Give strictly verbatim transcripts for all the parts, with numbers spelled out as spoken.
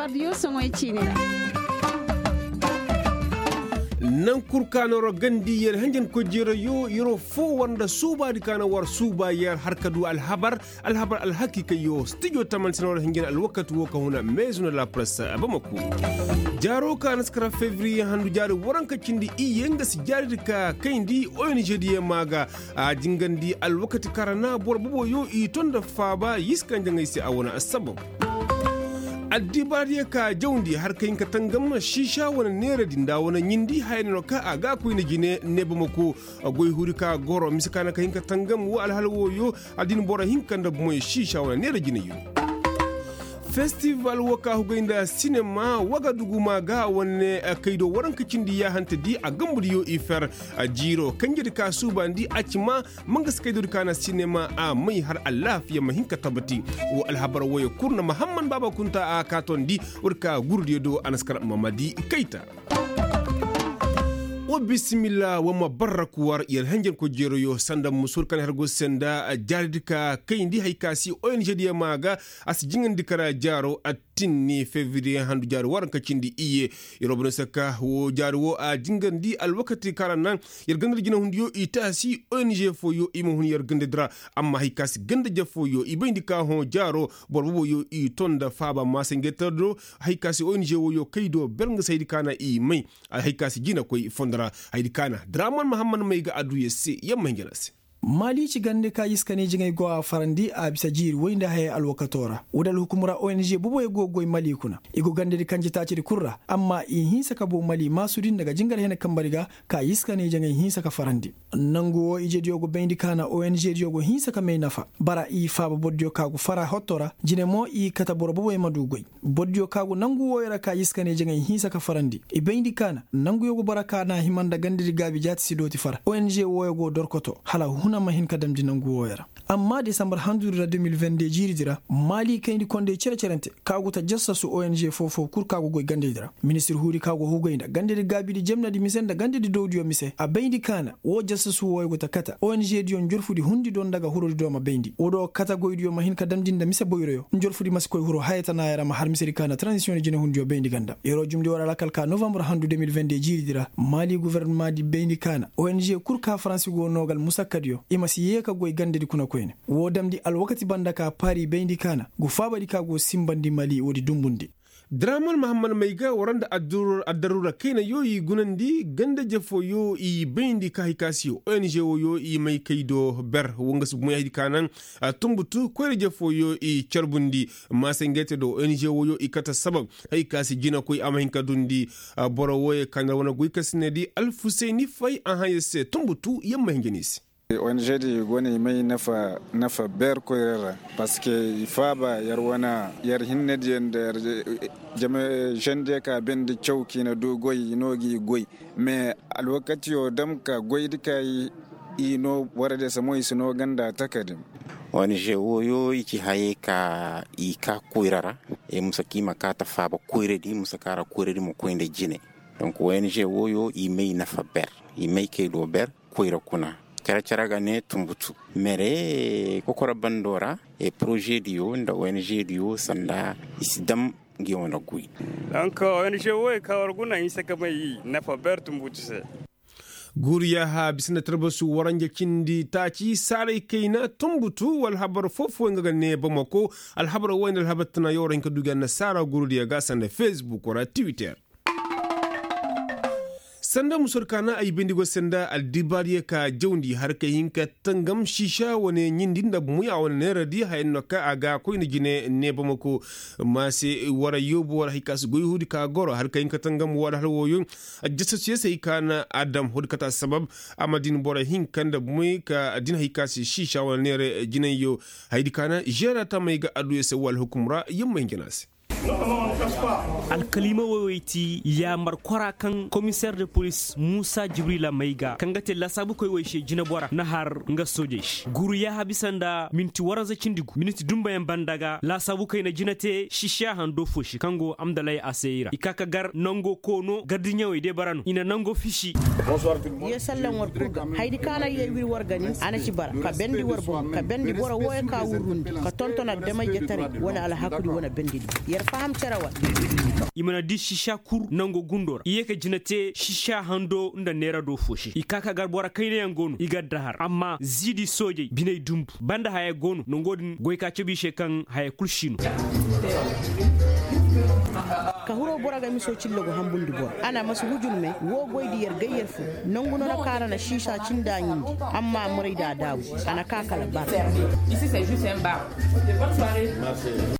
Ardiyo soŋoy ciini ra. Naŋ kul ka na war gandi yer henjen koy jeerayo yer wo foo war nda suubaadi ka na war suuba yer har ka du alhabar alhabar alhakiikayyo stijo taman se na war henjen alwakati wo ka huna meezu nda la press. Bamako jaaro ka na si kara fevriye handu jaari waranka cindi iyye nga si jaaridi ka kayndi ong diyaŋ maa ga. A jingandi alwakati kaŋ ra na boro boboyo i to nda faaba yiska njaŋay se a wane assabab. Addibaadiyo ka jawndi har ka hin ka tangam siisa wane neeradi nda a wane ɲindi haya ne no kaŋ a ga a koyne jine ne bamako. Goy huuri ka goro mise ka na ka hin ka tangam wo alhala wooyo. Addiini boro hinka nda bomoy siisa wane neera jinayo. Festival wo ka hugay nda sinema wagadugu maa ga wane kaydo waranka cindi yaahante di a gambudiyo i fer. Jiiro kanjedi ka suubandi a ci maa ma nga si kaydodi ka na sinema a may har alaafiya ma hin ka tabati. Wo alhabar wooyo kul na mahamman baaba kunta a kaatondi. Woodi ka gurudiyo do a na si kar mamadi kayta. Wa bisimilla wa ma barraku war yer henjenko jeeroyo sanda musur kaŋ har go se nda jaaridi ka kayndi hari ka si ong diyaŋ maa ga. A si jiŋandi kara jaaro attinni fevriye handu jaari waranka cindi iyye. Yer wo bane sakka wo jaari wo a jiŋandi alwakati kaŋ ra naŋ yer ganda da jinahundiyo i taasi ong fooyo i ma hun yer gandadi ra. Amma hari ka si ganda-je fooyo i bayndi ka hõ jaaro boro boboyo i to nda faaba maasa ngey tara do. Hari ka si ong wooyo kay do ber nga si haydi ka na i may. Hari ka si jinakoy fondo ra haydi ka na draman mahamman may ga adduya se yamma hinja na se. Maali ci gande ka iska ne jiŋay go a farandi a bisa jiiri woy nda hayey alwakato ra woodi alhukum ra ong boboyo go goy mali kuna. I go gandedi kanje taacidi kul ra amma i hinsa ka boo mali maasudi nda ga jingar hene kambari ga. Ka iska ne jiŋay hinsa ka farandi nangu wo ijediyo go bayndi ka na ong diyo go hinsa ka may nafa bara i faaba borodiyo ka go fara hotto ra jine mo i kate boro boboyo ma du goy. Borodiyo ka go nangu wooyo ra ka iska ne jiŋay hinsa ka farandi i bayndi ka na nanguyo go bara ka na hima nda gandedi gaabi jaati si dooti fara ong wooyo go dorkoto hala huna ma hin ka damndi nangu wooyo ra. Amma desambar handudi ra de mil vende jiiridi ra maali kayndi kondey cere-cerante ka go ta jassasu ong foo-foo kul ka go goy gandedi ra ministir huudi ka go hugay nda gandedi gaabidi jemnedi mise nda gandedi dowdiyo mise a bayndi ka na woo jassasu wooyo go ta kate ong diyo njorfudi hundi do nda ga hurudi do ma bayndi woo do kate goydiyo ma hin ka damndi nda mise boyroyo njorfudi ma si koy huru haya tanaaya ra ma har misedi ka na transisiyoŋ jinehundiyo bayndi ganda yeroo jumndi war alakal ka novambar handu de mil vende jiiridi ra maali gofornamaadi bayndi ka na ong kul ka faransi go noo ga almusakkadiyo i ma si yee ka goy gandedi kuna koyne woo damndi alwakati banda ka paari bayndi ka na go faabadi ka go sinbandi mali woodi dunbundi. Draman mahamman may ga war nda addaruura kaynayo i gunandi ganda-je fooyo i bayndi ka hari ka si ong wooyo i may kay do ber wo nga si bomoy haydi ka naŋ tunbutu koyra-je fooyo i carbundi maasa ngey te do ong wooyo i kate sabab hari ka si jinakoy a ma hin ka dundi. Boro wooyo ka na wane goy kasinedi alfusayni fay a hãya se tunbutu yamma hinja no i se. Ong di go no i may nafa ber koyra ra parceque i faaba yer wane yer hinnediyo nda yer jama zendiyo ka bendi caw ka i na du goy i no gi goy. Mais alwakatiyo dam ka goydi ka i no borodiyo se mo i si no ganda takadi. Ong wooyo i ci hayey ka i ka koyra ra i ma saka i ma ka ta faaba koyradi i ma saka ra koyradi ma koy nda jine. Donc ong wooyo i may nafa ber i may kay do ber koyra kuna. Care-care ga ne tunbutu mere kokoro bando ra e poroze diyo nda ong diyo sanda i si dam ngi wane guy. Donc ong wooyo ka war guna hinsa ka may i nafa ber tunbutu se. Guuru yaaha bisa nda tarbasu waranja cindi taaci saaray kayna tunbutu wala habar foo-foo nga ga ne bamako. Alhabar wayne alhabar tana yo war hin ka du ga annasaara guurudiyo ga sanda facebook wala twitter. Sanda musor kaana ay bayndi go sanda aldibaariyo ka jawndi har ka hin ka tangam siisa wane ɲindi nda bumoy a wane neeradi haya no ka a ga koyne jine ne bamako. Maase wara yoobu wara hay ka si goy huudi ka goro har ka hin ka tangam wala hala wooyo. Jasasuyo se hay ka na adam huudi kata sabab a ma din boro hinka nda bumoy ka din hay ka si siisa wane neere jinayyo. Haydi ka na žeera tamey ga adduyo se wala hukum ra yamma hinja na se. Alkaliima woy woy ti yaamar kwara kaŋ komiseer de polis muusa jibrila may ga kaŋ ga te laasaabukoy woy se jinebora na har nga soojey se guuru yaaha bisa nda minti waranza cindi gu minti dumbayaŋ banda ga laasaabukoy na jina te sisiya hando fo se kaŋ go amdalay a se i ra i ka ka gar nango koono gardiɲewey de bara no i na nango fisi. Ye sallaŋ war kul ga haydi kaŋ a na ye wir war ga nin a na ci bara ka bendi war boŋ ka bendi boro wooyo ka wurrundi ka tonton addamayjetaray wane alhakudi wane bendidi. I mana di siisa kul nangu gundo ra i ye ka jina te siisa hando nda neera do fo se i ka ka gar boro kaynayaŋ go no i gar dahar amma ziidi soojey biney dumbu banda haya go no nango din goy ka cabe i se kaŋ haya kul si no. Ka hiro boro ga miso cillo go hambundi boro a na masi hujur me wo goy di yer gay yer fo nangu no na kaŋ a na na siisa cindi a ɲindi amma a moray da a daabu a na ka kala bar.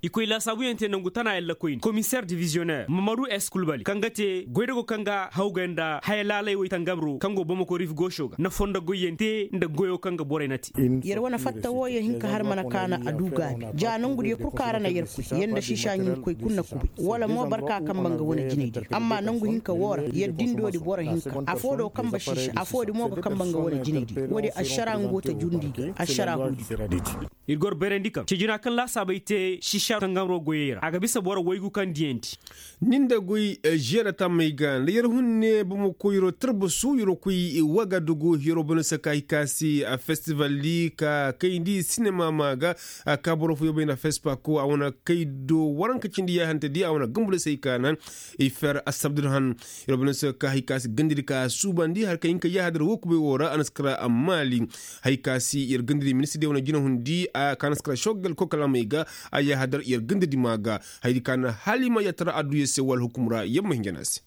I koy laasaabuyaŋ te nangu tana yalla koyne komiseer divizyonneer mamadu eskulbali kaŋ ga te goydago kaŋ ga hawgay nda haya laalay way tangabro kaŋ go bamako rif gooso ga na fondo goyyaŋ te nda goyo kaŋ ga borey na te. Yer wane fatta wo yer hin ka har mana kaana a du gaabi ja nangu diyo kul kaŋ a ra na yer koy yer nda siisa ɲumkoy kul na kubay wala mo barka kamba nga wane jinay diyo amma nangu hinka wo ra yer dindo di boro hinka afo do kamba siisa afo di mo ga kamba nga wane jinay diyo wo- di ašara nga go ta jundi ga ašara huudi. Ir goro bayrandi kaŋ cejina kaŋ laasaabey te siisa tangamro goyey ra a ga bisa boro waygu kaŋ diyandi. Ni nda goy, žeera tammey ga nda yer hunne bamako yeroo tarbasu yeroo koy wagadugu yeroo bana se ka hay ka se festival di ka kayndi sinema ma ga ka boro fooyoo bay nda fespako a wane kaydo waranka cindi yaahante di a wane gambu da se hay ka naŋ i fer assabdu da han. Yer bana se ka hay ka se gandadi ka suubandi har ka hin ka yaahadar woo kubay woo ra a na si kara maali. Hay ka se yer gandadi ministir di wane jina hundi a ka na si kara sogal kokalamey ga a yaahadar yer gandadi ma ga. Hayadi ka na halima yaatara adduya se wala hukum ra yer ma hinja no a se.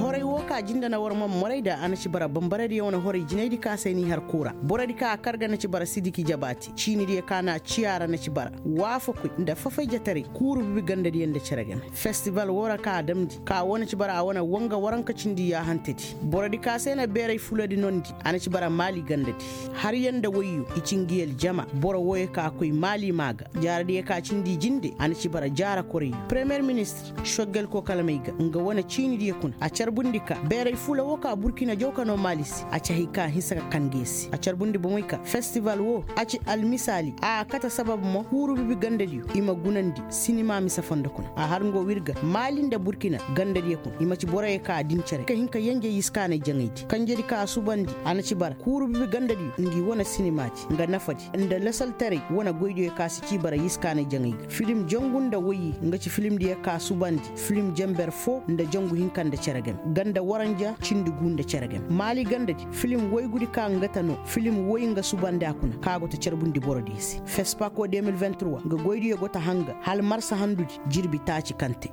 Horay woo ka jinda na war man moray da a na ci bara bambaradiyo wane horay jinaydi ka se n'i har kuu ra borodi ka a kar ga na ci bara sidiki jabaati ciinidiyo ka na a ciya ra na ci bara waafakoy nda fafayjetaray kuuru bibi gandadiyo nda cere game festival woo ra ka a damndi ka woo na ci bara a wane wanga waranka cindi yaahantedi. Borodi ka se na beeray fuladi nondi a na ci bara maali gandadi. Har yaŋ nda wayyo i ci ngi aljama boro wooyo ka koy maali maa ga jaaradiyo ka cindi jinde a na ci bara jaara korayyo premiyer ministir soggel kokalamey ga nga wane ciinidiyo kuna a carbundi ka beeray fula woo ka burkina jaw ka noo maali se a ci hay ka hinsa ka kan nge se a carbundi bomey ka festival woo a ci almisaali a kate sabab mo kuuru bibi gandadiyo i ma gunandi sinima mise fondo kuna a har ngo w'ir ga maali nda burkina gandadiyo kuna i ma ci boroyo ka din cere ka hin ka yenje yiskaanay jaŋaydi kanjedi ka a subandi a na ci bara kuuru bibi gandadiyo ngi wane sinimaadi nga nafadi nda lasaltaray wane goydiyo ka si ci bara yiskaanay jaŋay ga filim jangu nda woyye nga ci filimdiyo ka subandi filim jenber foo nda jangu hinka nda cere game ganda waranja cindi guu nda cere game maali gandadi filim woygudi ka nga ta no filim woy nga subandi a kuna ka go ta carbundi borodiyo se fespako deux mille vingt-trois nga goydiyo go ta hanga hala marsa handudi jirbi taaci kaŋ te.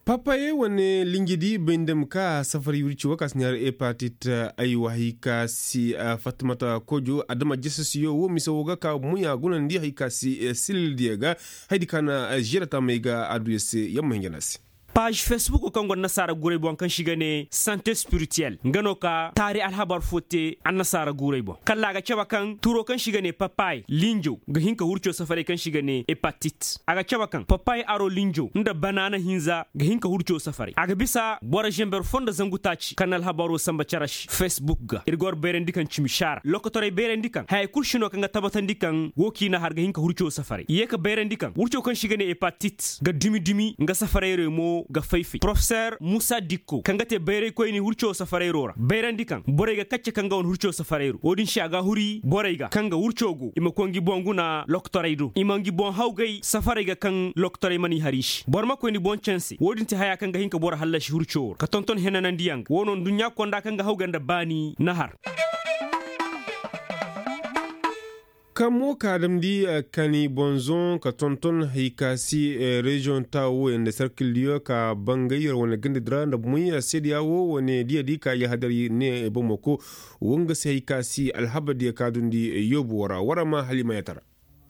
Papaye wane linjidi bay nda ma ka safaray wirci woo ka si neera epatit. Aywa hay ka si fatmata kojo adama jasasiyo woo mise woo ga ka moy a gunandi hay ka si silildiyo ga hayadi ka na ziyara taamey ga adduya se yer ma hinja no a se. Paaž fesbuko kaŋ go annasaara guuray boŋ kaŋ se i ga ne sante spirituel nga no ka taari alhabar fo te annasaara guuray boŋ kalla a ga cabe kaŋ turo kaŋ se i ga ne papay linjo ga hin ka hurco safaray kaŋ se i ga ne epatit a ga cabe kaŋ papay aro linjo nda banaana hinza ga hin ka hurco safaray a ga bisa boro zember fo nda zangu taaci kaŋ na alhabaro samba cere se fesbuk ga ir ga war bayrandi kaŋ cimi saara lokotorey bayrandi kaŋ hayey kul si no kaŋ ga tabatandi kaŋ woo k'i na har ga hin ka hurco safaray i ye ka bayrandi kaŋ wurco kaŋ se i ga ne epatit ga dumi dumi nga safarayro mo ga fay-fay porofeser muusa dikko kaŋ ga te bayraykoyni hurco safarayro ra bayrandi kaŋ borey ga kacce kaŋ ga wane hurco safarayro wo-din se a ga huri borey ga kaŋ ga hurco go i ma koy ngi boŋ guna lokotorey do i ma ngi boŋ hawgay safarey ga kaŋ lokotorey mana i har i se boro ma koy ni boŋ canse wo-din te haya kaŋ ga hin ka boro hallasi hurco ra ka tonton henanandiyaŋ ga wo no nduɲɲa konda kaŋ ga hawgay nda baani na har. Kamo ka damndi kani bonzoŋ ka tonton hay ka si reziyoŋ taawo wooyaŋ nda sarkildiyo ka bangay yer wane gandadi ra nda moy seedeya woo wane diyadi ka yahadar ne bomoko woo nga se hay ka si alhabardiyo ka dundi yoobu woo ra war ma halimayatara.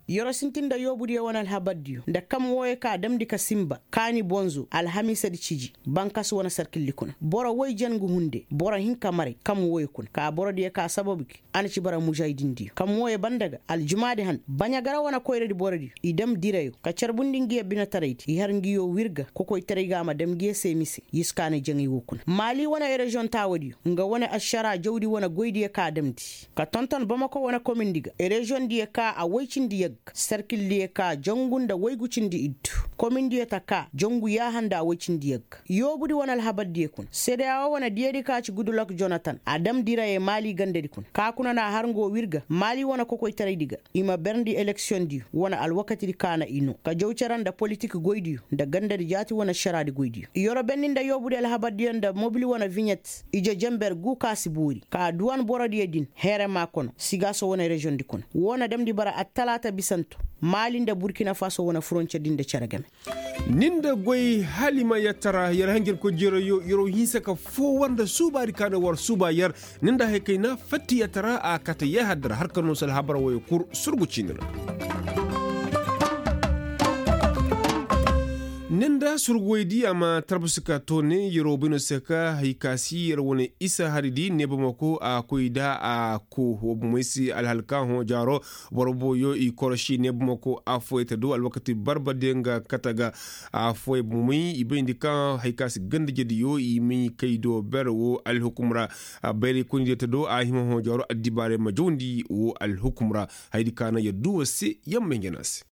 Yer'o sintin nda yoobudiyo wane alhabardiyo nda kam wooyo ka damndi ka sinba kaani bonzo alhamiisadi ciji bankas wane sarkildi kuna boro woy jen ngu hunde boro hinka maray kam wooyo kuna ka borodiyo ka sababu gi a na ci bara mužaydindiyo kam wooyo banda ga aljumaadi han baɲagara wane koyradi borodiyo i dam dirayo ka carbundi ngiyo binetaraydi i har ngiyo wirga kokoytaray ga a ma dam ngiyo se mise yiskaanay jaŋay woo kuna maali wane ereziyoŋ taawadiyo nga wane ašaraa jawdi wane goydiyo ka damndi ka tonton bamako wane komindi ga ereziyoŋdiyo ka a woy cindi yagga Serkildiyo ka jangu nda waygu cindi iddu, komindiyo ta ka jangu yaaha nda woy cindiyo ga. Yoobudi wane alhabardiyo kuna sedeyawo wane diyadi ka ci gudulok jonatan a dam dirayey maali gandadi kuna ka kuna na har ngo w'ir ga maali wane kokoytaraydi ga. I ma berndi eleksiyondiyo wane alwakatidi ka na i noo ka jaw cere nda politik goydiyo nda gandadi jaati wane ašaraadi goydiyo i yorobenni nda yoobudi alhabardiyo nda mobil wane viɲet. Ije jenber gu ka si boori ka duwan borodiyo din heere maa kono sigaaso wane reziyoŋdi kuna woo na damndi bara attalaata bisanto maali nda burkina faso wane furoncer din nda cere game. Ni nda goy hala i ma yattara yer hanjarkoy jeerayo yer'o hinsa ka foo war nda suubaadi ka na war suuba yer. Ni nda haykayna fatti yattara a kate yaaha dara har ka noo se alhabar woyo kul surgu ciini ra. Ni nda surgu woydi a ma tarbasi ka toone yer'o bay no se ka hay ka si yer wane isa haridi neebamako a koy nda a koo wa bomey se alhalka hõ jaaro. Boro boyo i koroši neebamako affooyey ta do alwakati barbardiyo nga kate ga. Affooyey bomey i bayndi ka hay ka si ganda jediyo i may kay do ber wo alhukum ra. Bayray koynidiyo ta do a hima hõ jaaro addibaarey ma jawndi wo alhukum ra. Hayadi ka na yer duu war se yer may njana se.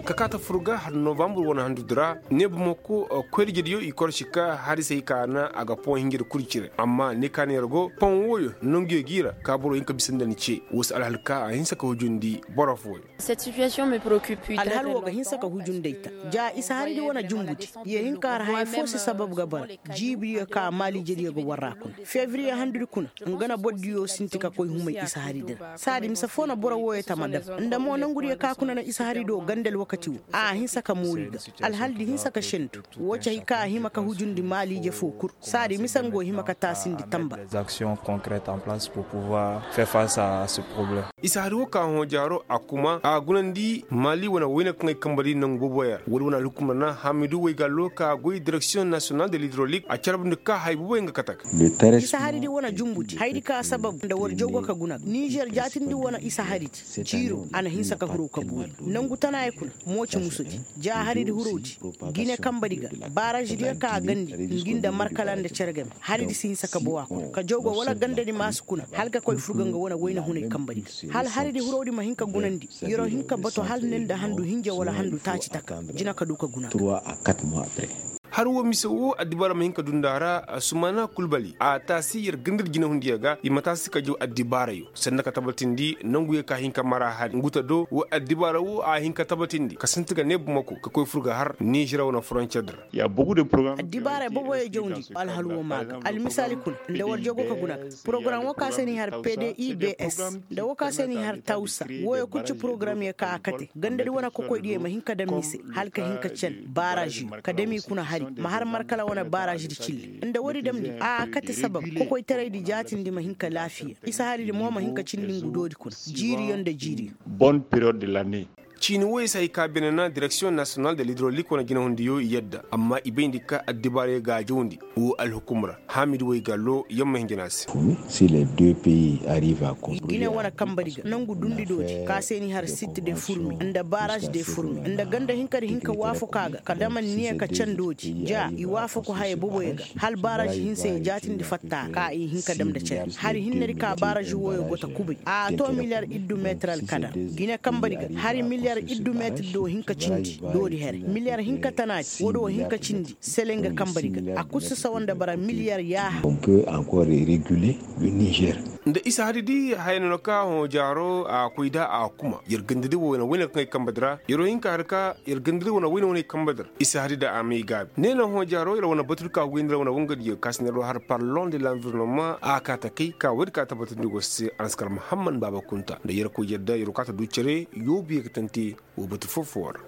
Ka kaa ta fur ga har novambur wane handudi ra neebamako koyrijediyo i koroši ka hari se hay ka na a ga poŋ hinjadi kul cire amma ne ka na yer go poŋ wooyo nanguyo g'i ra ka boro hin ka bisa nda ni ce woo si alhal ka a hinsa ka hujundi boro fooyo. Alhal woo ga hinsa ka hujundi ay ta ja isa haridi wane jumbudi. Yee hin ka har haya foo si sabab ga bara jiibiyo ka maaliijediyo ga war ra kuna fevriye handudi kuna. Nga na bordiyo sinti ka koy humay isa haridi ra saadi mise foo na boro wooyo tama dam. Nda mo nangudiyo ka kuna na isa harido ganda alwakati woo a hinsa ka moori ga. Alhaldi hinsa ka sentu woo ci hay ka a hima ka hujundi maaliije foo kul. Saadi mise nga go hima ka taasindi tamba. Isa hari woo ka hõ jaaro a kuma a gunandi maali wane wayne kaŋ ay kamba di nangu booboyaŋ ra woodi wane alhukumar na hamidu waygallo ka goy direksiyoŋ nasiyonal de lidrolik a carbundi ka hay booboyaŋ ga kate ga. Isa hari di wane jumbu di haydi ka sabab nda war jogo ka guna ga nizer jaatindi wane isa hari di jiiro a na hinsa ka huru ka boori nangu tanaayey kuna. Mooci musu di ja hari di huru di gine kamba di ga baarazi diyo ka a gandi ngi nda markala nda cere game. Hari di si hinsa ka bawa kuna ka jogo wala ganda di maasu kuna hala ka koy furga nga wane wayna hunay kamba di ga hala hari di huroo di ma hin ka gunandi. Yer'o hin ka bato hala ne nda handu hinja wala handu taaci taka jina ka du ka guna ga. Hari woo mise woo addibaara ma hin ka du nda a ra. Sumana kulbali a taasi yer ganda di jinahundiyo ga i ma taasi ka jaw addibaarayo sanda ka tabatindi nanguyo ka hin ka mara hari ngu ta do woo addibaara woo a hin ka tabatindi ka sinti ga neebumako ka koy fur ga har nizer wane foroncer di ra. Addibaarey boboyo jawndi alhal woo maa ga almisaali kuna nda war jogo ka guna ga porogaram woo ka se n'i har pdibs nda woo ka se n'i har tawsa. Wooyo kul ci porogaramyo ka a kate gandadi wane kokoydiyo ma hin ka dam mise hala ka hin ka can baaraziyo ka dam i kuna hari ma har markala wane baarazi di cilli nda woodi damndi a kate sabab kokoytaraydi jaatindi ma hin ka laafiya isa haridi mo ma hin ka cindi ngu doodi kuna jiiriyo nda jiiriyo. Ciini wooyo se hay ka bine na direksiyoŋ nasiyonal de lidrolik wane jinahundiyo i yadda amma i bayndi ka addibaarey ga a jawndi woo alhukum ra haamidi woy gallo yamma hinjina se. Gine wane kamba di ga nangu dundi doodi ka se ni har sit de furmi nda baraz de furmi nda ganda hinka di hinka waafaku a ga ka dam anniya ka can doodi ja i waafaku haya boboyo ga hala baraz hinse ya jaatindi fatta ka i hinka dam nda cere hari hinne di ka baraz wooyo go ta kubay a to miliyar iddu meetir alkadar. Gine kamba di ga hari miliyar iddu meetir do hinka cindi doodi here miliyar hinka tanaadi woodi wo hinka cindi sele nga kamba di ga a kul si sawa nda bara miliyar yaaha. Nda isa hari di haya no na ka hõ jaaro a koy da a kuma yer ganda di wo wane wayne kaŋ ay kamba di ra yer wo hin ka har ka yer ganda di wane wayne wane kamba di ra isa hari da a may gaabi ne na hõ jaaro yer wane batu di ka goy nda yer wane wangadiyo ka si na yer wo har parlon de lanvirnoma a ka ta kay ka woodi ka tabbatandi go se a na si kar muhammad baaba kunta nda yer koy yadda yer wo ka ta du cere yoobu ye ga tante. Wo batu foo foo ra.